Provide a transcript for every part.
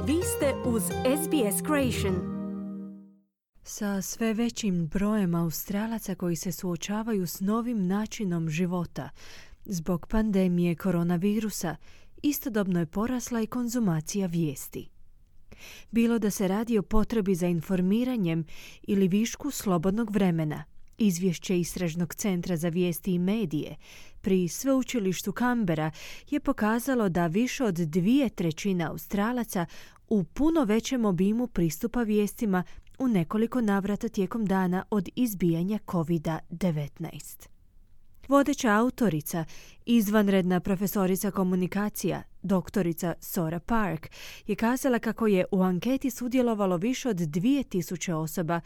Vi ste uz SBS Creation. Sa sve većim brojem Australaca koji se suočavaju s novim načinom života zbog pandemije koronavirusa, istodobno je porasla i konzumacija vijesti. Bilo da se radi o potrebi za informiranjem ili višku slobodnog vremena, izvješće Istražnog centra za vijesti i medije pri sveučilištu Canberra je pokazalo da više od 2/3 Australaca u puno većem obimu pristupa vijestima u nekoliko navrata tijekom dana od izbijanja COVID-19. Vodeća autorica, izvanredna profesorica komunikacija, doktorica Sora Park, je kazala kako je u anketi sudjelovalo više od 2000 osoba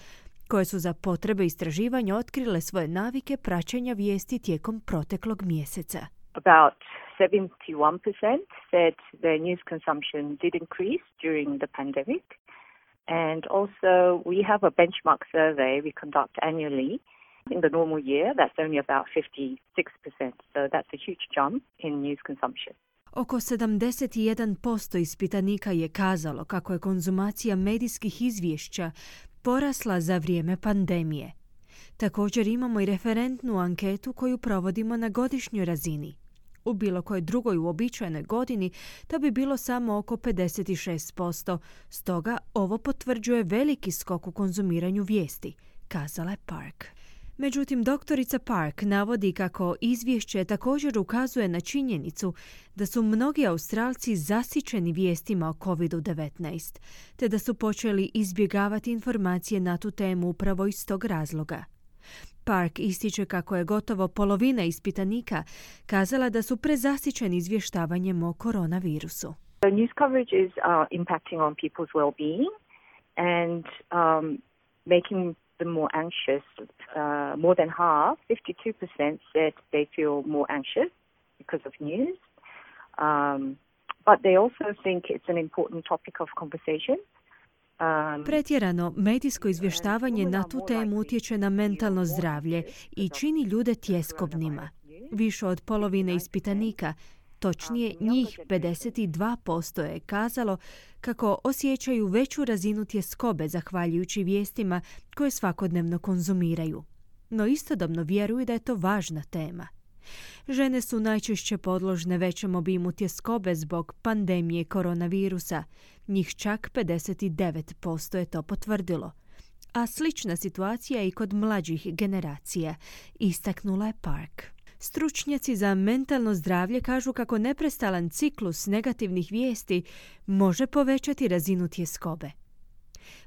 koje su za potrebe istraživanja otkrile svoje navike praćenja vijesti tijekom proteklog mjeseca. About 71% said their news consumption did increase during the pandemic. And also we have a benchmark survey we conduct annually. In the normal year, that's only about 56%. So that's a huge jump in news consumption. Oko 71% ispitanika je kazalo kako je konzumacija medijskih izvješća porasla za vrijeme pandemije. Također imamo i referentnu anketu koju provodimo na godišnjoj razini. U bilo kojoj drugoj uobičajenoj godini to bi bilo samo oko 56%, stoga ovo potvrđuje veliki skok u konzumiranju vijesti, kazala je Park. Međutim, doktorica Park navodi kako izvješće također ukazuje na činjenicu da su mnogi Australci zasićeni vijestima o COVID-19, te da su počeli izbjegavati informacije na tu temu upravo iz tog razloga. Park ističe kako je gotovo polovina ispitanika kazala da su prezasićeni izvještavanjem o koronavirusu. The news coverage is impacting on people's well-being and making them more anxious. More than half, 52% said they feel more anxious because of news. But they also think it's an important topic of conversation. Pretjerano medijsko izvještavanje na tu temu utječe na mentalno zdravlje i čini ljude tjeskobnima. Više od polovine ispitanika, točnije njih 52% je kazalo kako osjećaju veću razinu tjeskobe zahvaljujući vijestima koje svakodnevno konzumiraju. No istodobno vjeruju da je to važna tema. Žene su najčešće podložne većem obimu tjeskobe zbog pandemije koronavirusa. Njih čak 59% je to potvrdilo. A slična situacija je i kod mlađih generacija, istaknula je Park. Stručnjaci za mentalno zdravlje kažu kako neprestalan ciklus negativnih vijesti može povećati razinu tjeskobe.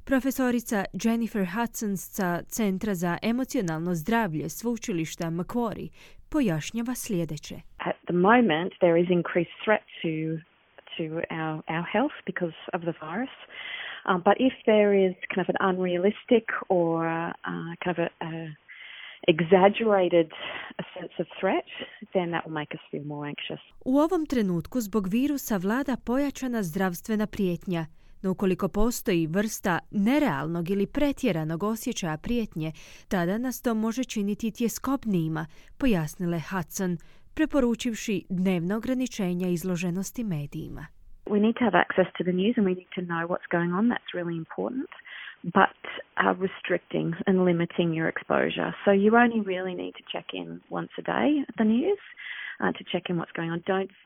Profesorica Jennifer Hudson sa Centra za emocionalno zdravlje sveučilišta Macquarie pojašnjava sljedeće. At the moment there is increased threat to our health because of the virus. But if there is kind of an unrealistic or kind of a exaggerated sense of threat, then that will make us feel more anxious. U ovom trenutku zbog virusa vlada pojačana zdravstvena prijetnja. No ukoliko postoji vrsta nerealnog ili pretjeranog osjećaja prijetnje, tada nas to može činiti tjeskobnijima, pojasnila je Hudson, preporučivši dnevno ograničenja izloženosti medijima. We need to have access to the news and we need to know what's going on. That's really important. But restricting and limiting your exposure. So you only really need to check in once a day at the news. To check in what's going on.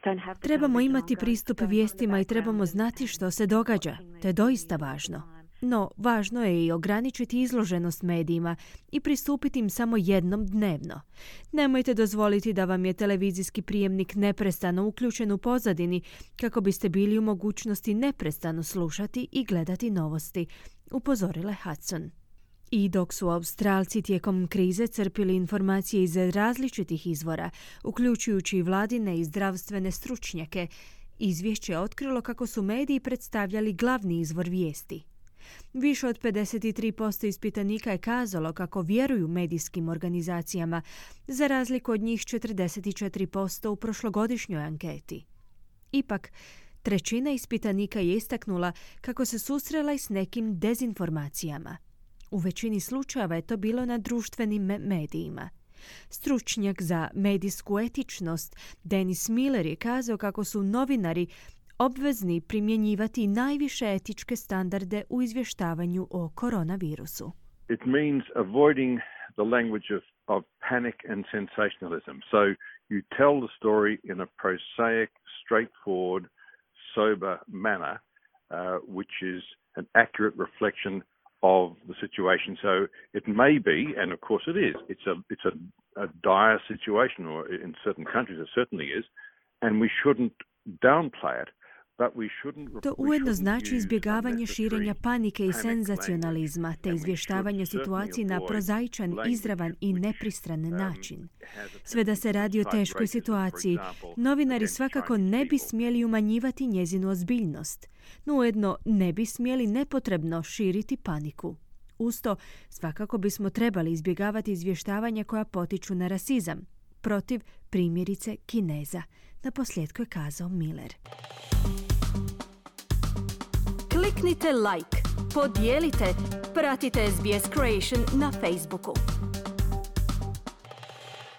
Don't have Trebamo imati pristup vijestima i trebamo znati što se događa. To je doista važno. No, važno je i ograničiti izloženost medijima i pristupiti im samo jednom dnevno. Nemojte dozvoliti da vam je televizijski prijemnik neprestano uključen u pozadini kako biste bili u mogućnosti neprestano slušati i gledati novosti, upozorila je Hudson. I dok su Australci tijekom krize crpili informacije iz različitih izvora, uključujući i vladine i zdravstvene stručnjake, izvješće je otkrilo kako su mediji predstavljali glavni izvor vijesti. Više od 53% ispitanika je kazalo kako vjeruju medijskim organizacijama, za razliku od njih 44% u prošlogodišnjoj anketi. Ipak, trećina ispitanika je istaknula kako se susrela i s nekim dezinformacijama. U većini slučajeva je to bilo na društvenim medijima. Stručnjak za medijsku etičnost Dennis Miller je kazao kako su novinari obvezni primjenjivati najviše etičke standarde u izvještavanju o koronavirusu. It means avoiding the language of panic and sensationalism. So you tell the story in a prosaic, straightforward, sober manner, which is an accurate reflection of the situation. So it may be, and of course it is, it's a dire situation, or in certain countries it certainly is, and we shouldn't downplay it. To ujedno znači izbjegavanje širenja panike i senzacionalizma te izvještavanje o situaciji na prozaičan, izravan i nepristran način. Sve da se radi o teškoj situaciji, novinari svakako ne bi smjeli umanjivati njezinu ozbiljnost, no ujedno ne bi smjeli nepotrebno širiti paniku. Usto, svakako bismo trebali izbjegavati izvještavanja koja potiču na rasizam, protiv primjerice Kineza, naposljetku je kazao Miller. Kliknite like, podijelite, pratite SBS Creation na Facebooku.